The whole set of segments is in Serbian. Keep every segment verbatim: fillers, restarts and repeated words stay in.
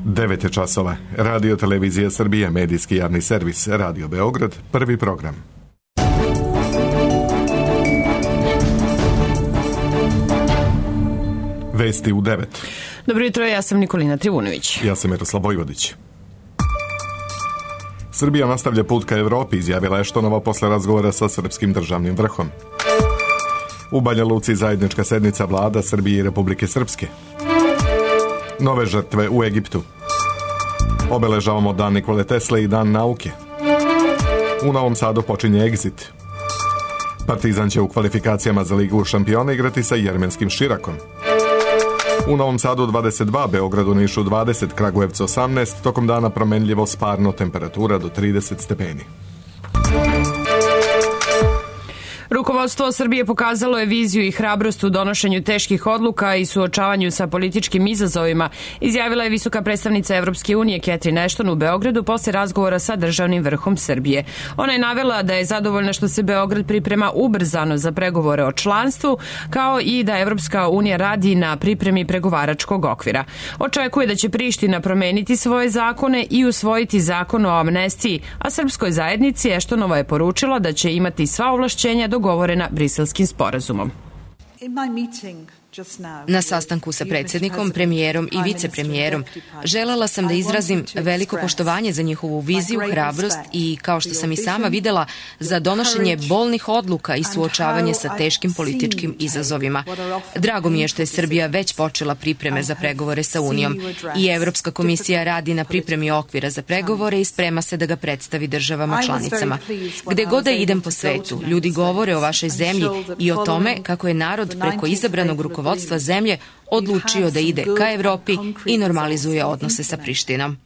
devet je časova. Radio Televizija Srbije, medijski javni servis, Radio Beograd, prvi program. Vesti u devet. Dobro jutro, ja sam Nikolina Trivunović. Ja sam Miroslav Vojvodić. Srbija nastavlja put ka Evropi, izjavila Eštonova posle razgovora sa srpskim državnim vrhom. U Banja Luci zajednička sednica vlada Srbije i Republike Srpske. Nove žrtve u Egiptu. Obeležavamo dan Nikole Tesle i dan nauke. U Novom Sadu počinje Exit. Partizan će u kvalifikacijama za Ligu šampiona igrati sa jermenskim Širakom. U Novom Sadu dvadeset dva, Beogradu, Nišu dvadeset, Kragujevcu osamnaest, tokom dana promenljivo sparno, temperatura do trideset stepeni. Rukovodstvo Srbije pokazalo je viziju i hrabrost u donošenju teških odluka i suočavanju sa političkim izazovima, izjavila je visoka predstavnica Evropske unije Catherine Ashton u Beogradu posle razgovora sa državnim vrhom Srbije. Ona je navela da je zadovoljna što se Beograd priprema ubrzano za pregovore o članstvu, kao i da Evropska unija radi na pripremi pregovaračkog okvira. Očekuje da će Priština promeniti svoje zakone i usvojiti zakon o amnestiji, a srpskoj zajednici Ashtonova je poručila da će imati sva ovlašćenja dogovorena Briselskim sporazumom. Na sastanku sa predsjednikom, premijerom i vicepremijerom želela sam da izrazim veliko poštovanje za njihovu viziju, hrabrost i, kao što sam i sama videla, za donošenje bolnih odluka i suočavanje sa teškim političkim izazovima. Drago mi je što je Srbija već počela pripreme za pregovore sa Unijom i Evropska komisija radi na pripremi okvira za pregovore i sprema se da ga predstavi državama članicama. Gde god da idem po svetu, ljudi govore o vašoj zemlji i o tome kako je narod preko izabranog rukovodstva vodstva zemlje odlučio da ide ka Evropi i normalizuje odnose sa Prištinom.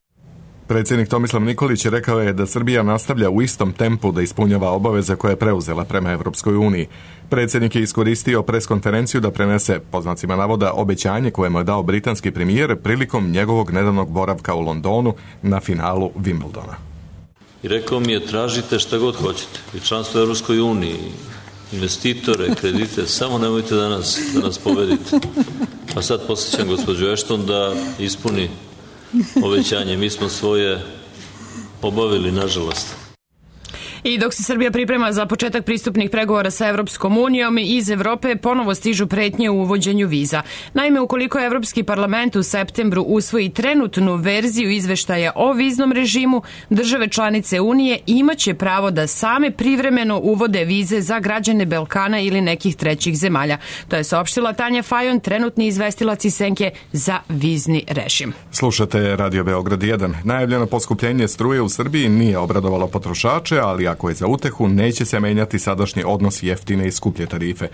Predsjednik Tomislav Nikolić rekao je da Srbija nastavlja u istom tempu da ispunjava obaveze koje je preuzela prema Evropskoj uniji. Predsjednik je iskoristio preskonferenciju da prenese, po znacima navoda, obećanje koje mu je dao britanski premijer prilikom njegovog nedavnog boravka u Londonu na finalu Wimbledona. I rekao mi je, tražite šta god hoćete, i članstvo u Evropskoj uniji, investitore, kredite, samo nemojte da nas, da nas povedite. A sad posjećam gospođu Ashton da ispuni obećanje. Mi smo svoje obavili, nažalost. I dok se Srbija priprema za početak pristupnih pregovora sa Evropskom unijom, iz Evrope ponovo stižu pretnje u uvođenju viza. Naime, ukoliko Evropski parlament u septembru usvoji trenutnu verziju izveštaja o viznom režimu, države članice Unije imaće pravo da same privremeno uvode vize za građane Balkana ili nekih trećih zemalja. To je saopštila Tanja Fajon, trenutni izvestilac iz Senke za vizni režim. Slušate Radio Beograd jedan. Najavljeno poskupljenje struje u Srbiji nije obradovalo potrošače, ali ako je za utehu, neće se menjati sadašnji odnos jeftine i skuplje tarife.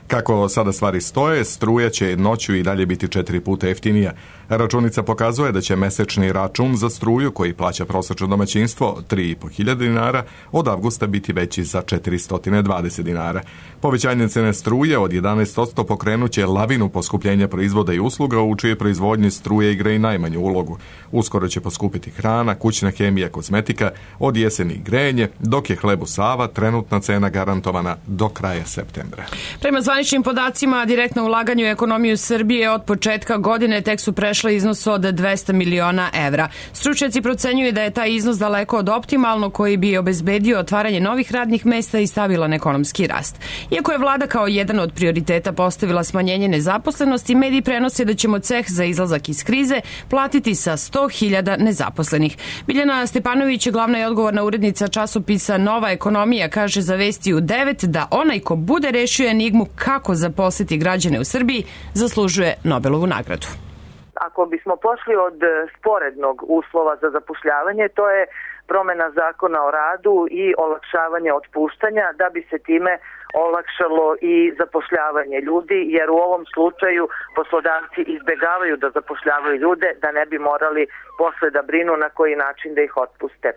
Kako sada stvari stoje, struja će noću i dalje biti četiri puta jeftinija. Računica pokazuje da će mesečni račun za struju, koji plaća prosečno domaćinstvo tri i po hiljade dinara, od avgusta biti veći za četiristo dvadeset dinara. Povećanje cene struje od jedanaest posto pokrenuće lavinu poskupljenja proizvoda i usluga, u čije proizvodnji struje igra i najmanju ulogu. Uskoro će poskupiti hrana, kućna hemija, kozmetika, od jeseni grejanje, dok je hlebu Sava trenutna cena garantovana do kraja septembra. Prema zvaničnim podacima, direktno ulaganje u ekonomiju Srbije od početka godine tek su prešle iznos od dvesta miliona evra. Stručnjaci procenjuju da je taj iznos daleko od optimalno, koji bi obezbedio otvaranje novih radnih mesta i stabilan ekonomski rast. Iako je vlada kao jedan od prioriteta postavila smanjenje nezaposlenosti, mediji prenose da ćemo ceh za izlazak iz krize platiti sa sto hiljada nezaposlenih. Biljana Stepanović, glavna i odgovorna urednica časopisa Nova ekonomija, kaže za Vesti u devet da onaj ko bude rešio enigmu kako zaposliti građane u Srbiji zaslužuje Nobelovu nagradu. Ako bismo pošli od sporednog uslova za zapošljavanje, to je promena zakona o radu i olakšavanje otpuštanja, da bi se time olakšalo i zapošljavanje ljudi, jer u ovom slučaju poslodavci izbegavaju da zapošljavaju ljude, da ne bi morali posle da brinu na koji način da ih otpuste. E,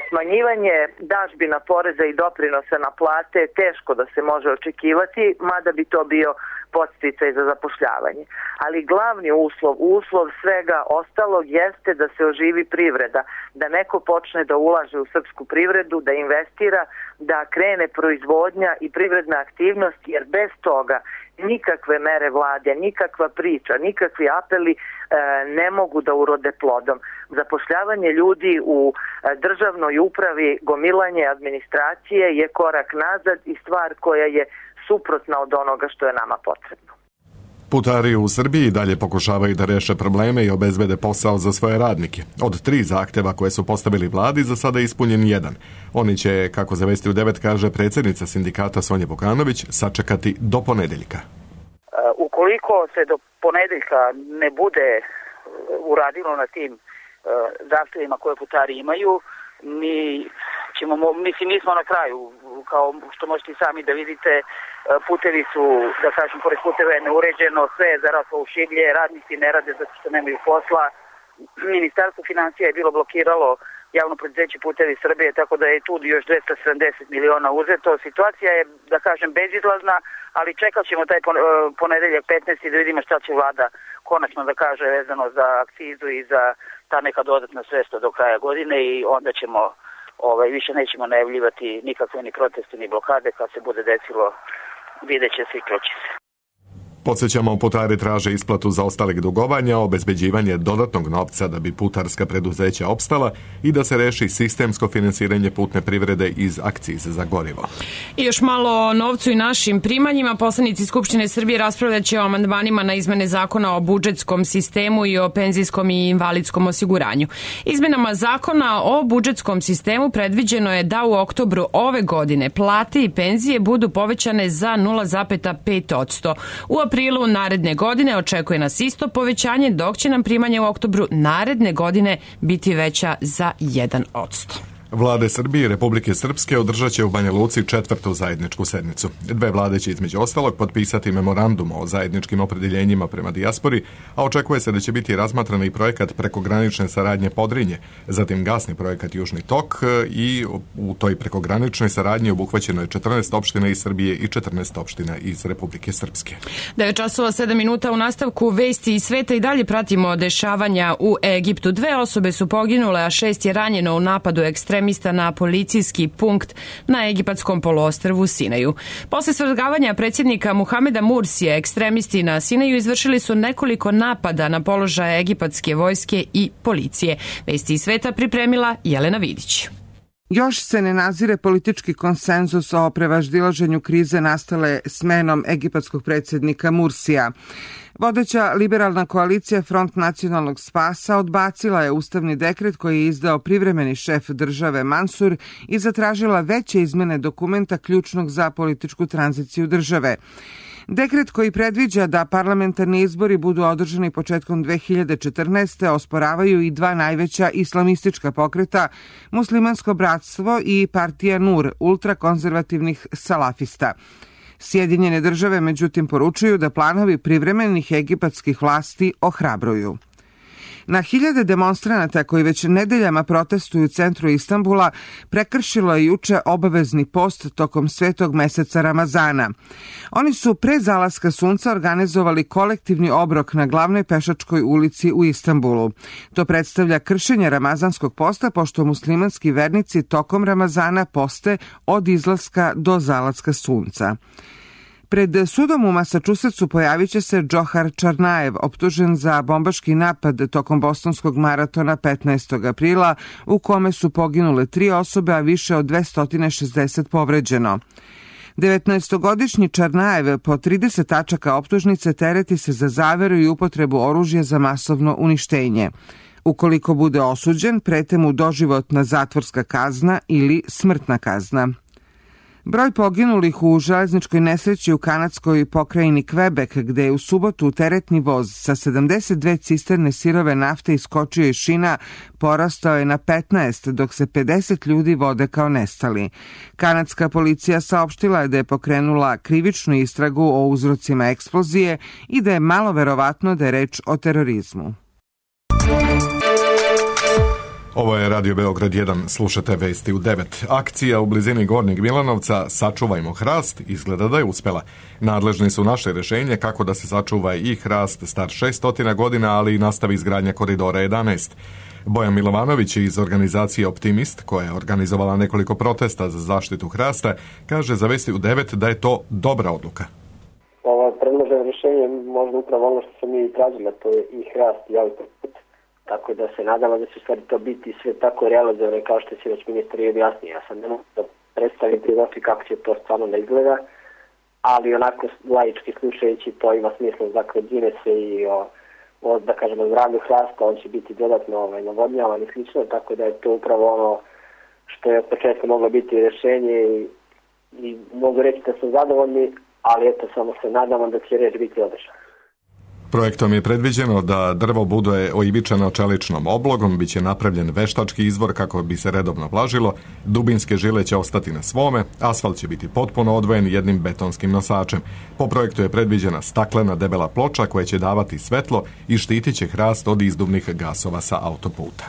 smanjivanje dažbina poreza i doprinosa na plate je teško da se može očekivati, mada bi to bio podsticaj za zapošljavanje. Ali glavni uslov, uslov svega ostalog jeste da se oživi privreda, da neko počne da ulaže u srpsku privredu, da investira, da krene proizvodnja i privredna aktivnost, jer bez toga nikakve mere vlade, nikakva priča, nikakvi apeli e, ne mogu da urode plodom. Zapošljavanje ljudi u e, državnoj upravi, gomilanje administracije je korak nazad i stvar koja je suprotna od onoga što je nama potrebno. Putari u Srbiji dalje pokušavaju da reše probleme i obezbede posao za svoje radnike. Od tri zahteva koje su postavili vladi, za sada je ispunjen jedan. Oni će, kako za Vesti u devet kaže predsjednica sindikata Sonja Vukanović, sačekati do ponedeljka. Ukoliko se do ponedeljka ne bude uradilo na tim zahtevima koje putari imaju, mi ćemo, mislim, mi smo na kraju, kao što možete i sami da vidite, putevi su, da kažem, pored puteva je neuređeno, sve je zaraslo u šiblje, radnici ne rade zato što nemaju posla. Ministarstvo financija je bilo blokiralo javno preduzeće Putevi Srbije, tako da je tu još dvesta sedamdeset miliona uzeto. Situacija je, da kažem, bezizlazna, ali čekat ćemo taj ponedeljak petnaesti da vidimo šta će vlada konačno da kaže vezano za akcizu i za ta neka dodatna sredstva do kraja godine i onda ćemo, ovaj, više nećemo najavljivati nikakve ni proteste ni blokade. Kad se bude desilo, vidjet će se i čuće se. Podsjećamo, putari traže isplatu zaostalih dugovanja, obezbeđivanje dodatnog novca da bi putarska preduzeća opstala i da se reši sistemsko finansiranje putne privrede iz akcize za gorivo. I još malo o novcu i našim primanjima. Poslanici Skupštine Srbije raspravljat će o amandmanima na izmene zakona o budžetskom sistemu i o penzijskom i invalidskom osiguranju. Izmenama zakona o budžetskom sistemu predviđeno je da u oktobru ove godine plate i penzije budu povećane za nula zarez pet posto. U aprilu naredne godine očekuje nas isto povećanje, dok će nam primanje u oktobru naredne godine biti veća za jedan posto. Vlade Srbije i Republike Srpske održat će u Banja Luci četvrtu zajedničku sednicu. Dve vlade će između ostalog potpisati memorandum o zajedničkim opredeljenjima prema dijaspori, a očekuje se da će biti razmatran i projekat prekogranične saradnje Podrinje, zatim gasni projekat Južni tok i u toj prekograničnoj saradnji obuhvaćeno je četrnaest opština iz Srbije i četrnaest opština iz Republike Srpske. devet časova sedam minuta u nastavku Vesti iz sveta i dalje pratimo dešavanja u Egiptu. Dve osobe su poginule, a šest je ranjeno u napadu ekstremista na policijski punkt na egipatskom poluostrvu Sinaju. Posle svrgavanja predsjednika Muhameda Mursija, ekstremisti na Sinaju izvršili su nekoliko napada na položaje egipatske vojske i policije. Vesti iz sveta pripremila Jelena Vidić. Još se ne nazire politički konsenzus o prevaždilaženju krize nastale smenom egipatskog predsjednika Mursija. Vodeća liberalna koalicija Front nacionalnog spasa odbacila je ustavni dekret koji je izdao privremeni šef države Mansur i zatražila veće izmene dokumenta ključnog za političku tranziciju države. Dekret koji predviđa da parlamentarni izbori budu održani početkom dve hiljade četrnaeste. osporavaju i dva najveća islamistička pokreta, Muslimansko bratstvo i partija Nur, ultrakonzervativnih salafista. Sjedinjene države međutim poručuju da planovi privremenih egipatskih vlasti ohrabruju. Na hiljade demonstranata koji već nedeljama protestuju u centru Istanbula prekršilo je juče obavezni post tokom svetog meseca Ramazana. Oni su pre zalaska sunca organizovali kolektivni obrok na glavnoj pešačkoj ulici u Istanbulu. To predstavlja kršenje ramazanskog posta, pošto muslimanski vernici tokom Ramazana poste od izlaska do zalaska sunca. Pred sudom u Massachusettsu pojavit će se Džohar Čarnajev, optužen za bombaški napad tokom bostonskog maratona petnaestog aprila, u kome su poginule tri osobe, a više od dvesta šezdeset povređeno. devetnaestogodišnji Čarnajev po trideset tačaka optužnice tereti se za zaveru i upotrebu oružja za masovno uništenje. Ukoliko bude osuđen, prete mu doživotna zatvorska kazna ili smrtna kazna. Broj poginulih u železničkoj nesreći u kanadskoj pokrajini Quebec, gde je u subotu teretni voz sa sedamdeset dve cisterne sirove nafte iskočio iz šina, porastao je na petnaest, dok se pedeset ljudi vode kao nestali. Kanadska policija saopštila je da je pokrenula krivičnu istragu o uzrocima eksplozije i da je malo verovatno da je reč o terorizmu. Ovo je Radio Beograd jedan, slušate Vesti u devet. Akcija u blizini Gornjeg Milanovca Sačuvajmo hrast izgleda da je uspela. Nadležni su naše rješenje kako da se sačuva i hrast star šesto godina, ali i nastavi izgradnja koridora jedanaest. Bojan Milovanović iz organizacije Optimist, koja je organizovala nekoliko protesta za zaštitu hrasta, kaže za Vesti u devet da je to dobra odluka. Ova upravo ono što smo mi tražili, to je i hrast i autoput. Tako da se nadamo da će stvari to biti sve tako realizovane kao što će već ministar i objasnio. Ja sam ne mogu da predstavim prilofi kako će to stvarno da izgleda, ali onako laički slušajući to ima smisla, dakle džine se i o, o da kažemo zdravlju hrasta, on će biti dodatno ovaj, navodnjavan i slično, tako da je to upravo ono što je od početka moglo biti rješenje i, i mogu reći da su zadovoljni, ali eto samo se nadamo da će reč biti održana. Projektom je predviđeno da drvo bude oivičeno čeličnom oblogom, bit će napravljen veštački izvor kako bi se redovno vlažilo, dubinske žile će ostati na svome, asfalt će biti potpuno odvojen jednim betonskim nosačem. Po projektu je predviđena staklena debela ploča koja će davati svetlo i štitit će hrast od izduvnih gasova sa autoputa.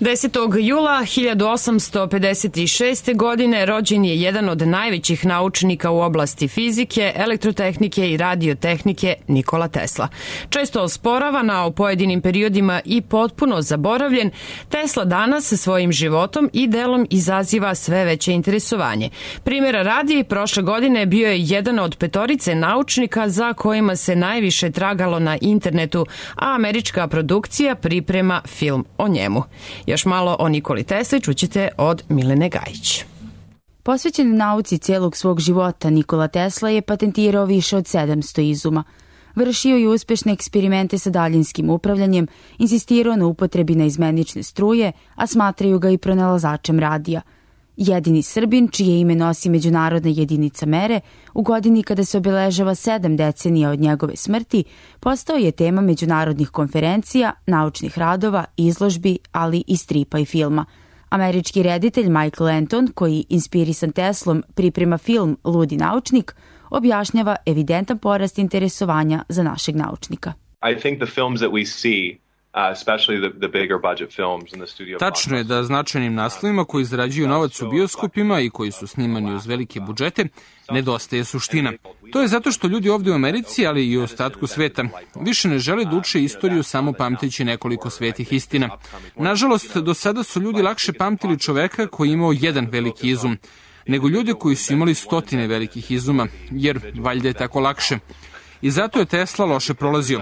desetog jula hiljadu osamsto pedeset šeste. godine rođen je jedan od najvećih naučnika u oblasti fizike, elektrotehnike i radiotehnike Nikola Tesla. Često osporavan, a u pojedinim periodima i potpuno zaboravljen, Tesla danas sa svojim životom i delom izaziva sve veće interesovanje. Primjera radi, prošle godine bio je jedan od petorice naučnika za kojima se najviše tragalo na internetu, a američka produkcija priprema film o njemu. Još malo o Nikoli Tesli čućete od Milene Gajić. Posvećen nauci celog svog života, Nikola Tesla je patentirao više od sedamsto izuma. Vršio je uspešne eksperimente sa daljinskim upravljanjem, insistirao na upotrebi naizmenične struje, a smatraju ga i pronalazačem radija. Jedini Srbin, čije ime nosi međunarodna jedinica mere, u godini kada se obeležava sedam decenija od njegove smrti, postao je tema međunarodnih konferencija, naučnih radova, izložbi, ali i stripa i filma. Američki reditelj Michael Anton, koji inspirisan Teslom priprema film Ludi naučnik, objašnjava evidentan porast interesovanja za našeg naučnika. I think the films that we see Tačno je da značajnim naslovima koji zarađuju novac u bioskopima i koji su snimani uz velike budžete, nedostaje suština. To je zato što ljudi ovdje u Americi, ali i u ostatku sveta, više ne žele da uče istoriju samo pamteći nekoliko svetih istina. Nažalost, do sada su ljudi lakše pamtili čoveka koji je imao jedan veliki izum, nego ljude koji su imali stotine velikih izuma, jer valjda je tako lakše. I zato je Tesla loše prolazio.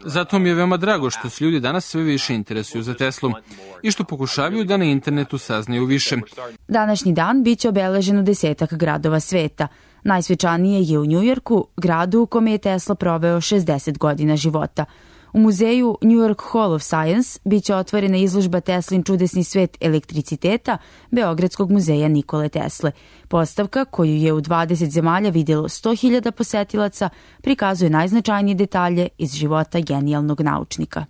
Zato mi je veoma drago što se ljudi danas sve više interesuju za Teslu i što pokušavaju da na internetu saznaju više. Današnji dan biće obeležen u desetak gradova sveta. Najsvečanije je u Njujorku, gradu u kome je Tesla proveo šezdeset godina života. U muzeju New York Hall of Science biće otvorena izložba Teslin čudesni svet elektriciteta Beogradskog muzeja Nikole Tesle. Postavka, koju je u dvadeset zemalja vidjelo sto hiljada posetilaca, prikazuje najznačajnije detalje iz života genijalnog naučnika.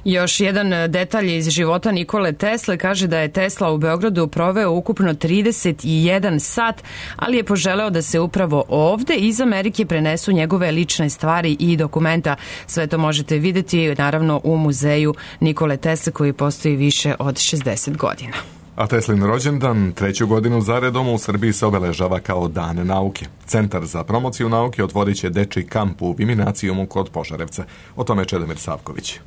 Još jedan detalj iz života Nikole Tesle kaže da je Tesla u Beogradu proveo ukupno trideset jedan sat, ali je poželeo da se upravo ovde iz Amerike prenesu njegove lične stvari i dokumenta. Sve to možete vidjeti naravno u muzeju Nikole Tesle koji postoji više od šezdeset godina. A Teslin rođendan treću godinu zaredom u Srbiji se obeležava kao Dan nauke. Centar za promociju nauke otvorit će dečiji kamp u Viminacijumu kod Požarevca. O tome Čedomir Savković.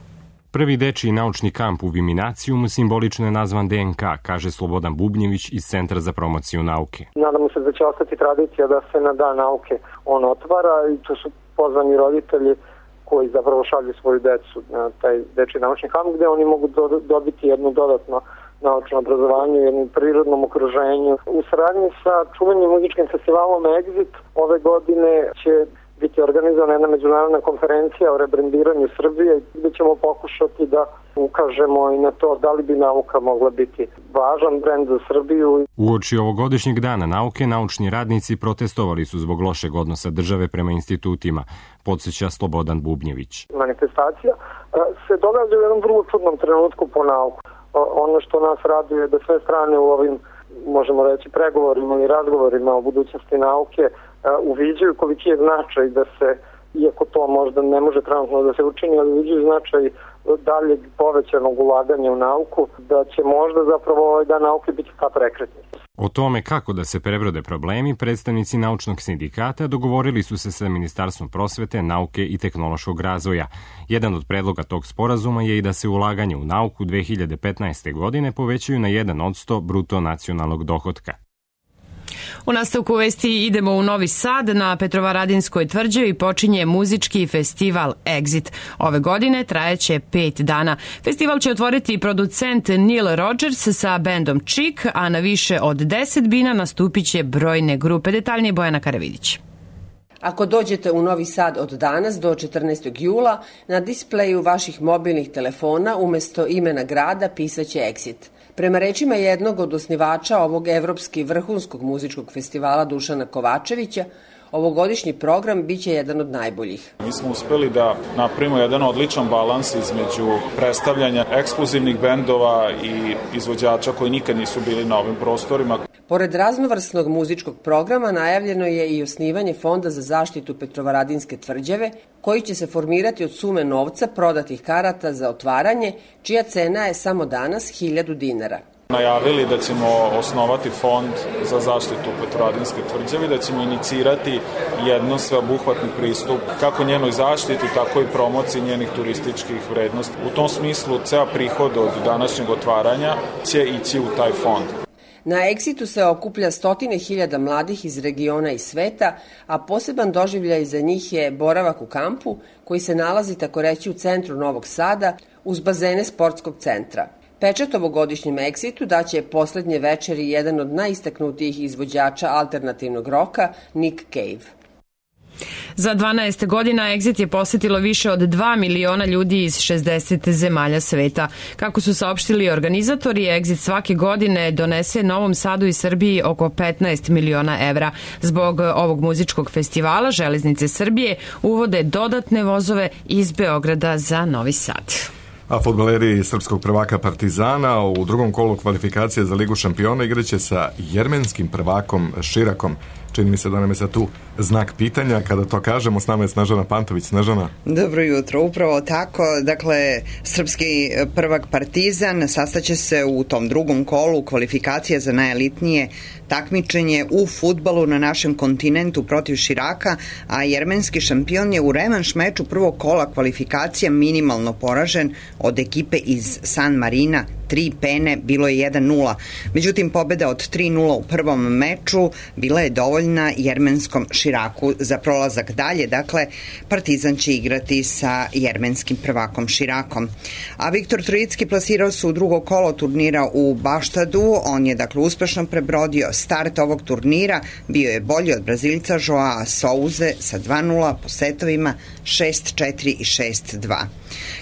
Prvi dečiji naučni kamp u Viminacijumu simbolično je nazvan D N K, kaže Slobodan Bubnjević iz Centra za promociju nauke. Nadamo se da će ostati tradicija da se na Dan nauke on otvara i tu su pozvani roditelji koji zapravo šalju svoju decu na taj dečiji naučni kamp gde oni mogu do, dobiti jedno dodatno naučno obrazovanje u jednom prirodnom okruženju. U saradnji sa čuvenim muzičkim festivalom Exit ove godine će biti organizovana jedna međunarodna konferencija o rebrandiranju Srbije gdje ćemo pokušati da ukažemo i na to da li bi nauka mogla biti važan brend za Srbiju. Uoči ovogodišnjeg dana nauke, naučni radnici protestovali su zbog lošeg odnosa države prema institutima, podsjeća Slobodan Bubnjević. Manifestacija se događa u jednom vrlo čudnom trenutku po nauku. Ono što nas raduje je da sve strane u ovim, možemo reći, pregovorima i razgovorima o budućnosti nauke uviđaju koliki je značaj da se, iako to možda ne može trenutno da se učini, ali uviđaju značaj daljeg povećanog ulaganja u nauku, da će možda zapravo ovaj dan nauke biti kao prekretni. O tome kako da se prebrode problemi, predstavnici naučnog sindikata dogovorili su se sa Ministarstvom prosvete, nauke i tehnološkog razvoja. Jedan od predloga tog sporazuma je i da se ulaganje u nauku dve hiljade petnaeste. godine povećaju na jedan posto bruto nacionalnog dohotka. U nastavku vesti idemo u Novi Sad. Na Petrovaradinskoj tvrđavi počinje muzički festival Exit. Ove godine trajaće pet dana. Festival će otvoriti producent Neil Rogers sa bendom Chick, a na više od deset bina nastupit će brojne grupe. Detaljnije Bojana Karavidić. Ako dođete u Novi Sad od danas do četrnaestog jula, na displeju vaših mobilnih telefona umesto imena grada pisaće Exit. Prema rečima jednog od osnivača ovog evropski vrhunskog muzičkog festivala Dušana Kovačevića, ovogodišnji program biće jedan od najboljih. Mi smo uspeli da napravimo jedan odličan balans između predstavljanja ekskluzivnih bendova i izvođača koji nikad nisu bili na ovim prostorima. Pored raznovrsnog muzičkog programa najavljeno je i osnivanje Fonda za zaštitu Petrovaradinske tvrđave, koji će se formirati od sume novca prodatih karata za otvaranje, čija cena je samo danas hiljadu dinara. Najavili da ćemo osnovati fond za zaštitu Petrovaradinske tvrđave, da ćemo inicirati jedno sveobuhvatni pristup kako njenoj zaštiti, tako i promociji njenih turističkih vrednosti. U tom smislu, ceo prihod od današnjeg otvaranja će ići u taj fond. Na Exitu se okuplja stotine hiljada mladih iz regiona i sveta, a poseban doživljaj za njih je boravak u kampu, koji se nalazi tako reći u centru Novog Sada, uz bazene sportskog centra. Pečat ovogodišnjem Exitu daće poslednje večeri jedan od najistaknutijih izvođača alternativnog roka, Nick Cave. Za dvanaest godina Exit je posetilo više od dva miliona ljudi iz šezdeset zemalja sveta. Kako su saopštili organizatori, Exit svake godine donese Novom Sadu i Srbiji oko petnaest miliona evra. Zbog ovog muzičkog festivala Železnice Srbije uvode dodatne vozove iz Beograda za Novi Sad. A fudbaleri srpskog prvaka Partizana u drugom kolu kvalifikacije za Ligu šampiona igraće sa jermenskim prvakom Širakom. Čini mi se da nam je sad tu znak pitanja. Kada to kažemo, s nama je Snežana Pantović. Snežana. Dobro jutro, upravo tako. Dakle, srpski prvak Partizan sastaće se u tom drugom kolu kvalifikacija za najelitnije takmičenje u fudbalu na našem kontinentu protiv Širaka, a jermenski šampion je u revanš meču prvog kola kvalifikacija minimalno poražen od ekipe iz San Marina. Tri pene, bilo je jedan nula. Međutim, pobjeda od tri nula u prvom meču bila je dovoljna jermenskom Širaku za prolazak dalje. Dakle, Partizan će igrati sa jermenskim prvakom Širakom. A Viktor Trojicki plasirao se u drugo kolo turnira u Baštadu. On je, dakle, uspešno prebrodio start ovog turnira. Bio je bolji od Brazilca Joao Souze sa dva nula po setovima šest četiri i šest dva.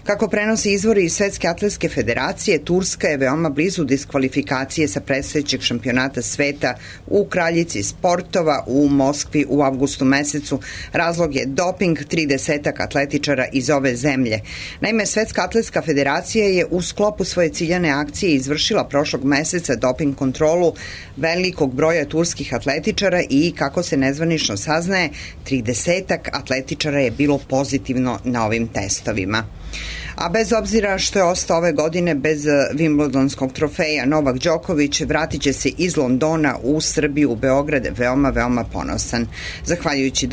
Kako prenosi izvori iz Svetske atletske federacije, Turska je veoma blizu diskvalifikacije sa predstojećeg šampionata sveta u kraljici sportova u Moskvi u avgustu mesecu. Razlog je doping tridesetak atletičara iz ove zemlje. Naime, Svetska atletska federacija je u sklopu svoje ciljane akcije izvršila prošlog meseca doping kontrolu velikog broja turskih atletičara i, kako se nezvanično saznaje, tridesetak atletičara je bilo pozitivno na ovim testovima. A bez obzira što je ostao ove godine bez Wimbledonskog trofeja, Novak Đoković vratit će se iz Londona u Srbiju, u Beograd, veoma, veoma ponosan. Zahvaljujući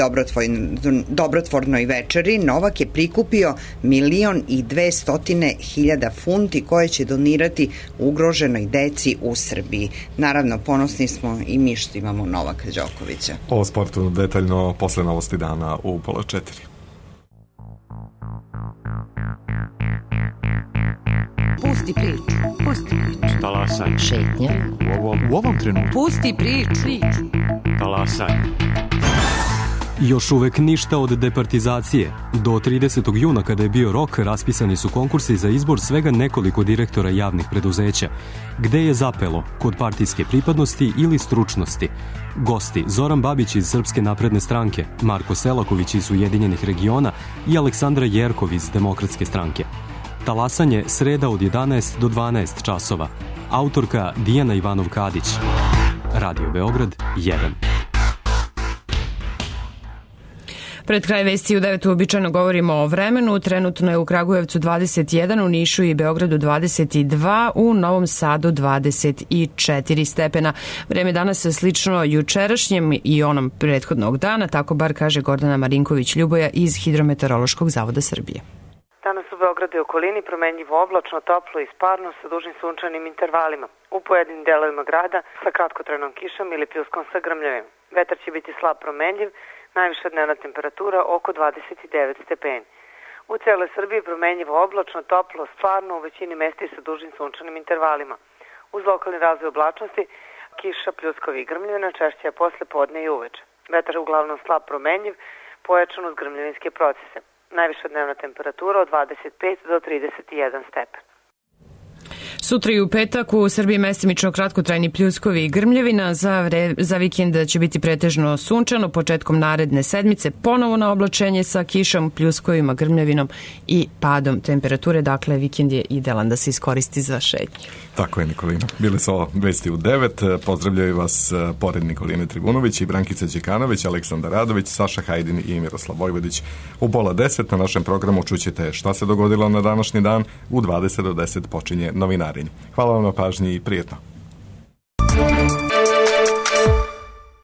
dobrotvornoj večeri, Novak je prikupio milion i dve stotine hiljada funti koje će donirati ugroženoj deci u Srbiji. Naravno, ponosni smo i mi što imamo Novaka Đokovića. O sportu detaljno posle novosti dana u pola četiri. Pusti priču, pusti priču. Talasaj. Šetnja. U ovom, u ovom trenutku. Pusti priču. Talasaj. Još uvek ništa od departizacije. Do tridesetog juna, kada je bio rok, raspisani su konkursi za izbor svega nekoliko direktora javnih preduzeća. Gde je zapelo? Kod partijske pripadnosti ili stručnosti? Gosti Zoran Babić iz Srpske napredne stranke, Marko Selaković iz Ujedinjenih regiona i Aleksandra Jerkov iz Demokratske stranke. Talasanje sreda od jedanaest do dvanaest časova. Autorka Dijana Ivanov-Kadić. Radio Beograd jedan. Pred kraj vesti u devet uobičajeno govorimo o vremenu. Trenutno je u Kragujevcu dvadeset jedan, u Nišu i Beogradu dvadeset dva, u Novom Sadu dvadeset četiri stepena. Vreme danas je slično jučerašnjem i onom prethodnog dana, tako bar kaže Gordana Marinković-Ljuboja iz Hidrometeorološkog zavoda Srbije. Danas u Beogradu i okolini promenljivo oblačno, toplo i sparno sa dužim sunčanim intervalima. U pojedinim delovima grada sa kratkotrajnom kišom ili pljuskom sa grmljavim. Vetar će biti slab promenljiv, najviša dnevna temperatura oko dvadeset devet stepeni. U celoj Srbiji promenljivo oblačno, toplo, stvarno, u većini mesta i sa dužim sunčanim intervalima. Uz lokalni razvoj oblačnosti, kiša, pljuskovi i grmljavina češće je posle podne i uveče. Vetar je uglavnom slab promenljiv, pojačan uz grmljavinske procese. Najviša dnevna temperatura od dvadeset pet do trideset jedan stepen. Sutra i u petak u Srbiji mestimično kratkotrajni pljuskovi i grmljavina, za, vre, za vikend će biti pretežno sunčano, početkom naredne sedmice ponovo na oblačenje sa kišom, pljuskovima, grmljavinom i padom temperature, dakle vikend je idealan da se iskoristi za šetnju. Tako je, Nikolina. Bili su ovo vesti u devet. Pozdravljaju vas pored Nikoline Tribunović i Brankica Đekanović, Aleksandar Radović, Saša Hajdin i Miroslav Vojvodić. U pola deset na našem programu čućete šta se dogodilo na današnji dan. U dvadeset do deset počinje novinarenje. Hvala vam na pažnji i prijetno.